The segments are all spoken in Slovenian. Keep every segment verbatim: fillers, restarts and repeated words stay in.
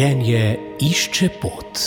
Življenje išče pot.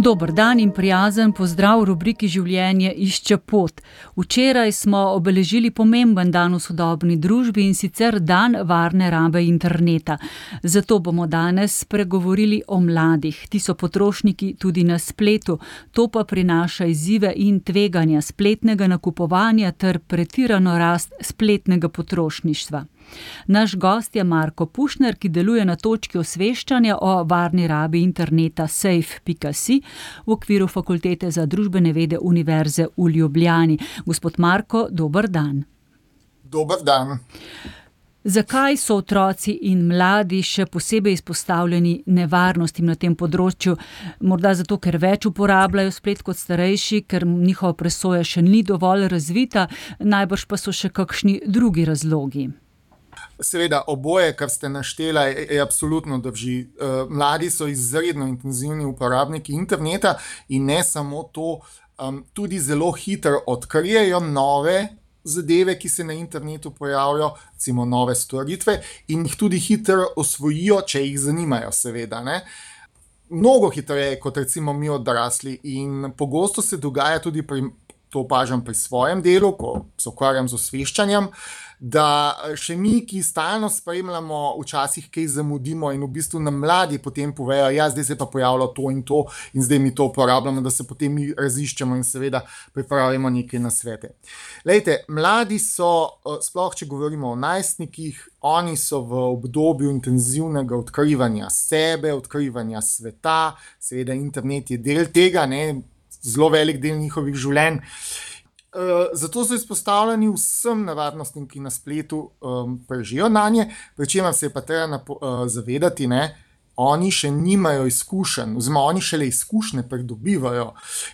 Dober dan in prijazen pozdrav v rubriki Življenje išče pot. Včeraj smo obeležili pomemben dan v sodobni družbi, in sicer dan varne rabe interneta. Zato bomo danes spregovorili o mladih. Ti so potrošniki tudi na spletu. To pa prinaša izzive in tveganja spletnega nakupovanja ter pretirano rast spletnega potrošništva. Naš gost je Marko Pušner, ki deluje na točki osveščanja o varni rabi interneta safe pika si v okviru Fakultete za družbene vede Univerze v Ljubljani. Gospod Marko, dober dan. Dober dan. Zakaj so otroci in mladi še posebej izpostavljeni nevarnostim na tem področju? Morda zato, ker več uporabljajo splet kot starejši, ker njihova presoja še ni dovolj razvita, najbrž pa so še kakšni drugi razlogi. Seveda, oboje, kar ste naštela, je absolutno drži. Mladi so izredno intenzivni uporabniki interneta in ne samo to, tudi zelo hitro odkrijejo nove zadeve, ki se na internetu pojavljajo, recimo nove storitve, in jih tudi hitro osvojijo, če jih zanimajo, seveda, ne. Mnogo hitreje kot recimo mi odrasli, in pogosto se dogaja tudi pri, to opažam pri svojem delu, ko se ukvarjam z osveščanjem, da še mi, ki stalno spremljamo, včasih kaj zamudimo in v bistvu nam mladi potem povejo, ja, zdaj se pa pojavilo to in to in zdaj mi to uporabljamo, da se potem mi raziščemo in seveda pripravimo neke nasvete. Glejte, mladi so, sploh če govorimo o najstnikih, oni so v obdobju intenzivnega odkrivanja sebe, odkrivanja sveta, seveda internet je del tega, ne, zelo velik del njihovih življenj. Uh, zato so izpostavljeni vsem nevarnostim, ki na spletu um, prežijo nanje, pri čemer se je pa treba napo, uh, zavedati, ne, oni še nimajo izkušenj, oziroma oni šele izkušnje pridobivajo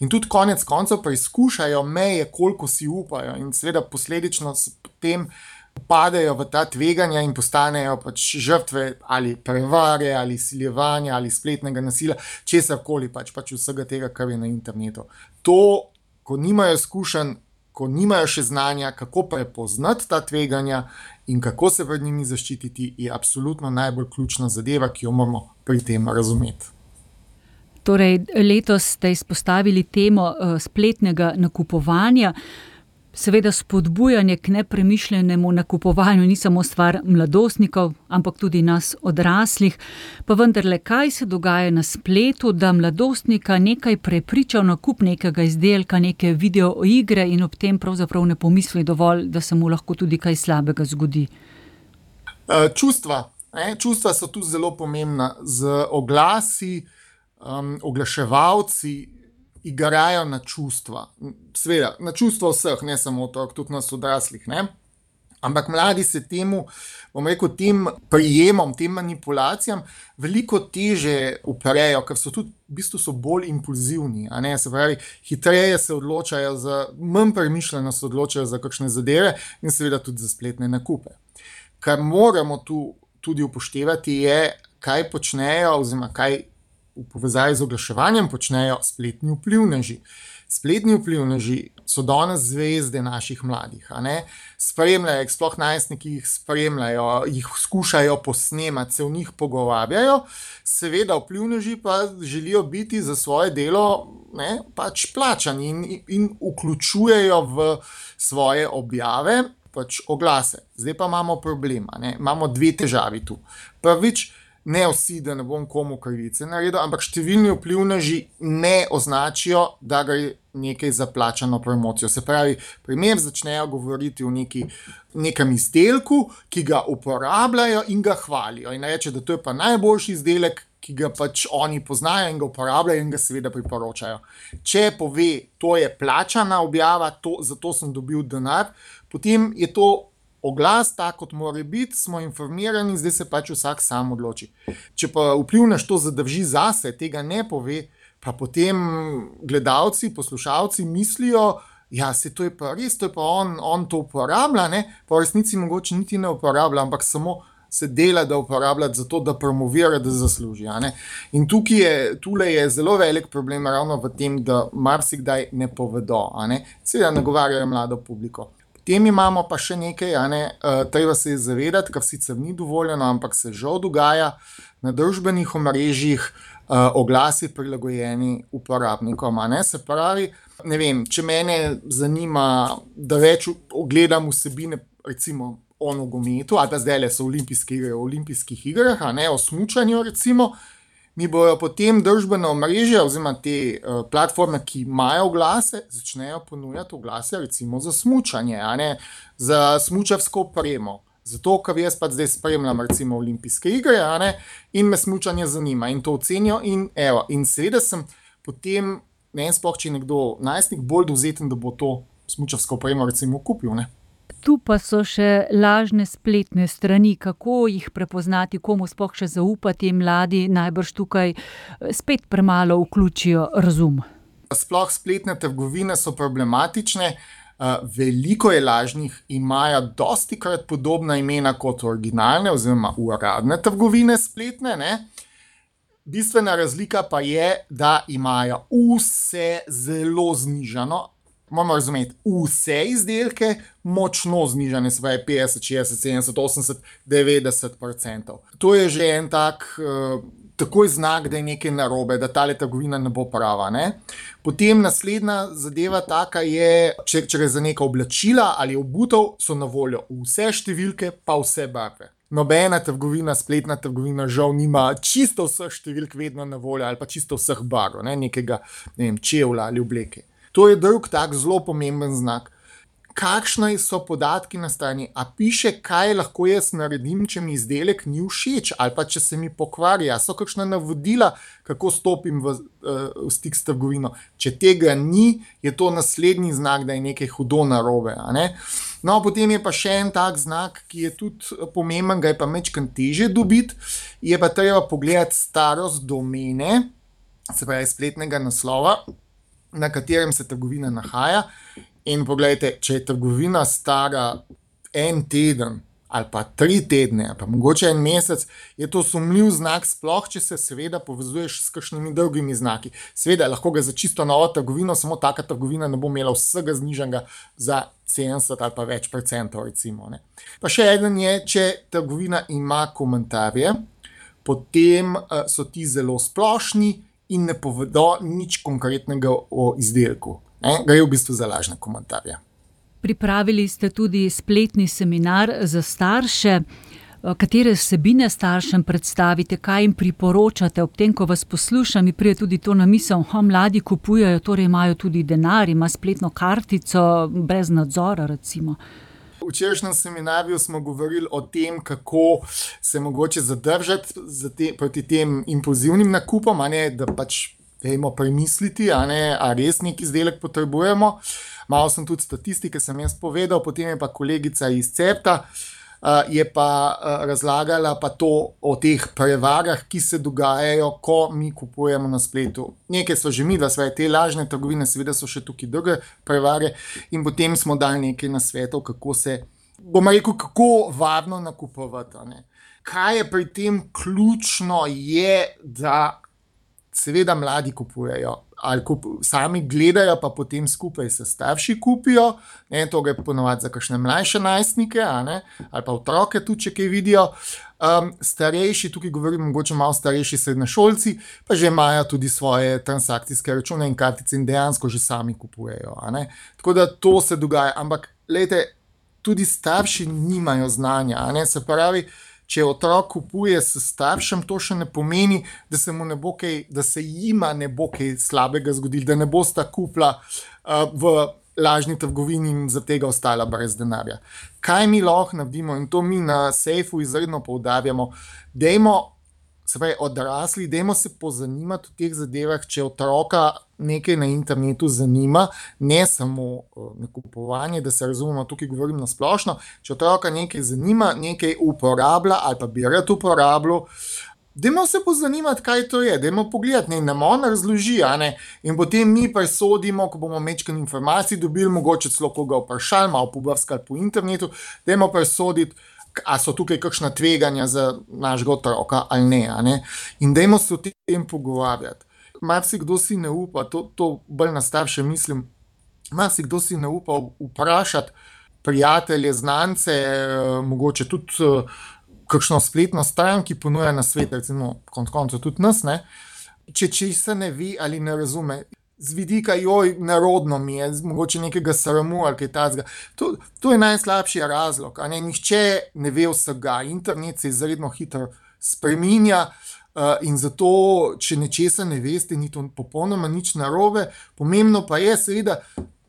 in tudi konec koncev preizkušajo meje, koliko si upajo, in seveda posledično se potem padejo v ta tveganja in postanejo pač žrtve ali prevare, ali siljevanja, ali spletnega nasilja, česarkoli pač, pač vsega tega, kar je na internetu. To, ko nimajo izkušenj, ko nimajo še znanja, kako prepoznati ta tveganja in kako se pred njimi zaščititi, je absolutno najbolj ključna zadeva, ki jo moramo pri tem razumeti. Torej, letos ste izpostavili temo uh, spletnega nakupovanja. Seveda spodbujanje k nepremišljenemu nakupovanju ni samo stvar mladostnikov, ampak tudi nas odraslih. Pa vendarle, kaj se dogaja na spletu, da mladostnika nekaj prepriča v nakup nekega izdelka, neke videoigre in ob tem pravzaprav ne pomisli dovolj, da se mu lahko tudi kaj slabega zgodi? Čustva. Ne? Čustva so tu zelo pomembna. Z oglasi, um, oglaševalci igrajo na čustva. Seveda, na čustva vseh, ne samo otrok, tudi nas odraslih, ne. Ampak mladi se temu, bom rekel, tem prijemom, tem manipulacijam veliko teže uprejo, ker so tudi, v bistvu so bolj impulzivni, a ne, se pravi, hitreje se odločajo za, manj premišljeno se odločajo za kakšne zadeve in seveda tudi za spletne nakupe. Kar moramo tu tudi upoštevati je, kaj počnejo, oziroma kaj v povezavi z oglaševanjem počnejo spletni vplivneži. Spletni vplivneži so danes zvezde naših mladih, a ne? Spremljajo, sploh najstniki jih spremljajo, jih skušajo posnemati, se v njih pogovarjajo, seveda vplivneži pa želijo biti za svoje delo, ne, pač plačani in, in vključujejo v svoje objave pač oglase. Zdaj pa imamo problem, a ne? Imamo dve težavi tu. Prvič, ne vsi, da ne bom komu krivice naredil, ampak številni vplivneži ne označijo, da gre nekaj za plačano promocijo. Se pravi, primer začnejo govoriti o neki, nekem izdelku, ki ga uporabljajo in ga hvalijo. In reče, da to je pa najboljši izdelek, ki ga pač oni poznajo in ga uporabljajo in ga seveda priporočajo. Če pove, to je plačana objava, to, zato sem dobil denar, potem je to oglas, tak kot mora biti, smo informirani, zdaj se pač vsak sam odloči. Če pa vplivnež to zadrži zase, tega ne pove, pa potem gledalci, poslušalci mislijo, ja, se to je pa res, to je pa on, on to uporablja, ne, pa v resnici mogoče niti ne uporablja, ampak samo se dela, da uporablja zato, da promovira, da zasluži, a ne. In tukaj je, tule je zelo velik problem ravno v tem, da marsikdaj ne povedo, a ne. Seveda nagovarjajo mlado publiko. Potem imamo pa še nekaj, a ne, uh, treba se je zavedati, kar sicer ni dovoljeno, ampak se žal dogaja na družbenih omrežjih, uh, oglasi prilagojeni uporabnikom. A ne? Se pravi, ne vem, če mene zanima, da več ogledam vsebine, recimo o nogometu, ali pa zdaj le so olimpijske igre, o olimpijskih igrah, a ne o smučanju, recimo, mi bojo potem družbene omrežja oziroma te uh, platforme, ki imajo oglase, začnejo ponujati oglase recimo za smučanje, a ne za smučarsko opremo. Zato, ker jaz pa zdaj spremljam recimo olimpijske igre, a ne, in me smučanje zanima in to ocenijo in evo. In seveda sem potem, ne vem sploh, če je nekdo najstnik bolj dovzeten, da bo to smučarsko opremo recimo kupil, ne. Tu pa so še lažne spletne strani, kako jih prepoznati, komu sploh še zaupati, mladi najbrž tukaj spet premalo vključijo razum. Sploh spletne trgovine so problematične, veliko je lažnih, imajo dostikrat podobna imena kot originalne oziroma uradne trgovine spletne, ne. Bistvena razlika pa je, da imajo vse zelo znižano. Moramo razumeti, vse izdelke močno znižane, se pravi petdeset, šestdeset, sedemdeset, osemdeset, devetdeset procentov. To je že en tak uh, takoj znak, da je nekaj narobe, da tale trgovina ne bo prava. Ne? Potem naslednja zadeva taka je, če, če gre za neka oblačila ali obutev, so na voljo vse številke, pa vse barve. Nobena trgovina, spletna trgovina žal nima čisto vseh številk vedno na voljo ali pa čisto vseh barv, ne? Nekega, ne vem, čevlja ali obleke. To je drug tak zelo pomemben znak. Kakšni so podatki na strani? A piše, kaj lahko jaz naredim, če mi izdelek ni všeč ali pa če se mi pokvari? A so kakšna navodila, kako stopim v, v stik s trgovino? Če tega ni, je to naslednji znak, da je nekaj hudo narobe. A ne? No, potem je pa še en tak znak, ki je tudi pomemben, ga je pa majčkeno težje dobiti, je pa treba pogledati starost domene, se pravi spletnega naslova, na katerem se trgovina nahaja. In pogledajte, če je trgovina stara en teden ali pa tri tedne, ali pa mogoče en mesec, je to sumljiv znak, sploh če se seveda povezuješ s kakšnimi drugimi znaki. Seveda, lahko ga za čisto novo trgovino, samo taka trgovina ne bo imela vsega znižanga za sedemdeset ali pa več procentov, recimo. Ne. Pa še eden je, če trgovina ima komentarje, potem uh, so ti zelo splošni in ne povedo nič konkretnega o izdelku. Ne? Gre v bistvu za lažne komentarje. Pripravili ste tudi spletni seminar za starše. Katere vsebine staršem predstavite, kaj jim priporočate? Ob tem, ko vas poslušam, mi pride tudi to na misel, ha, mladi kupujejo, torej imajo tudi denar, ima spletno kartico, brez nadzora recimo. V včerajšnjem seminarju smo govorili o tem, kako se mogoče zadržati za te, proti tem impulzivnim nakupom, a ne, da pač dajmo premisliti, a ne, a res neki izdelek potrebujemo. Malo sem tudi statistike, sem jaz povedal, potem je pa kolegica iz Cepta, uh, je pa uh, razlagala pa to o teh prevarah, ki se dogajajo, ko mi kupujemo na spletu. Nekaj so že mi, da sve te lažne trgovine, seveda so še tukaj druge prevare in potem smo dali nekaj nasvetov, kako se, bomo rekel, kako varno nakupovati. A ne. Kaj je pri tem ključno je, da seveda mladi kupujejo, ali kup, sami gledajo, pa potem skupaj se starši kupijo, ne, to gre ponovati za kakšne mlajše najstnike, a ne, ali pa otroke tudi, če kaj vidijo. Um, starejši, tukaj govorim mogoče malo starejši srednješolci, pa že imajo tudi svoje transakcijske račune in kartice in dejansko že sami kupujejo. A ne. Tako da to se dogaja, ampak lejte, tudi starši nimajo znanja, a ne, se pravi, če otrok kupuje s staršem, to še ne pomeni, da se mu ne bo kaj, da se jima ne bo kaj slabega zgodilo, da ne bosta kupila uh, v lažni trgovini in za tega ostala brez denarja. Kaj mi lahko naredimo, in to mi na Sejfu izredno poudarjamo, dajmo, se pravi odrasli, dajmo se pozanimati o teh zadevah, če otroka nekaj na internetu zanima, ne samo uh, nakupovanje, da se razumemo, tukaj govorim na splošno, če otroka nekaj zanima, nekaj uporablja ali pa bi rad uporabljal, dajmo se pozanimati, kaj to je, dajmo pogledati, ne, nam on razloži, a ne, in potem mi presodimo, ko bomo mečken informacij dobili, mogoče celo koga vprašali, malo pobrskali po internetu, dajmo presoditi, a so tukaj kakšna tveganja za našega otroka ali ne, a ne, in dajmo se o tem pogovarjati. Marsikdo si ne upa, to, to bolj na starše mislim, marsikdo si ne upa vprašati, prijatelje, znance, mogoče tudi kakšno spletno stran, ki ponuja nasvet, recimo konec koncev tudi nas, ne? Če česa ne ve ali ne razume, z vidika, joj, narodno mi je, mogoče nekega sramu ali kaj takega. To, to je najslabši razlog, a ne, nihče ne ve vsega, internet se izredno hitro spreminja uh, in zato, če nečesa ne veste, ni to popolnoma nič narobe, pomembno pa je seveda,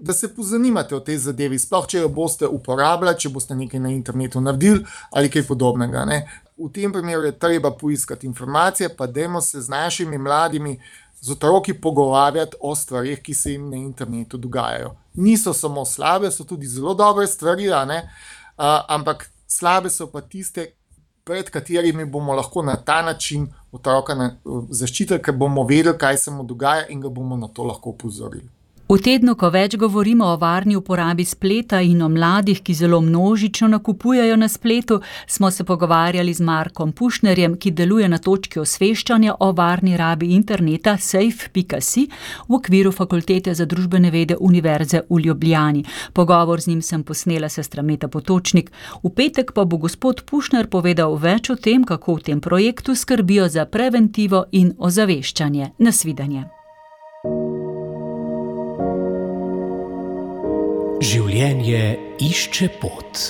da se pozanimate o tej zadevi, sploh če jo boste uporabljali, če boste nekaj na internetu naredili ali kaj podobnega, ne. V tem primeru je treba poiskati informacije, pa dajmo se z našimi mladimi, z otroki pogovarjati o stvarih, ki se jim na internetu dogajajo. Niso samo slabe, so tudi zelo dobre stvari, a ne? Uh, ampak slabe so pa tiste, pred katerimi bomo lahko na ta način otroka na, uh, zaščitili, ker bomo vedeli, kaj se mu dogaja in ga bomo na to lahko opozorili. V tednu, ko več govorimo o varni uporabi spleta in o mladih, ki zelo množično nakupujejo na spletu, smo se pogovarjali z Markom Pušnerjem, ki deluje na točki osveščanja o varni rabi interneta safe pika si v okviru Fakultete za družbene vede Univerze v Ljubljani. Pogovor z njim sem posnela sestra Meta Potočnik. V petek pa bo gospod Pušner povedal več o tem, kako v tem projektu skrbijo za preventivo in ozaveščanje. Nasvidenje. Življenje išče pot.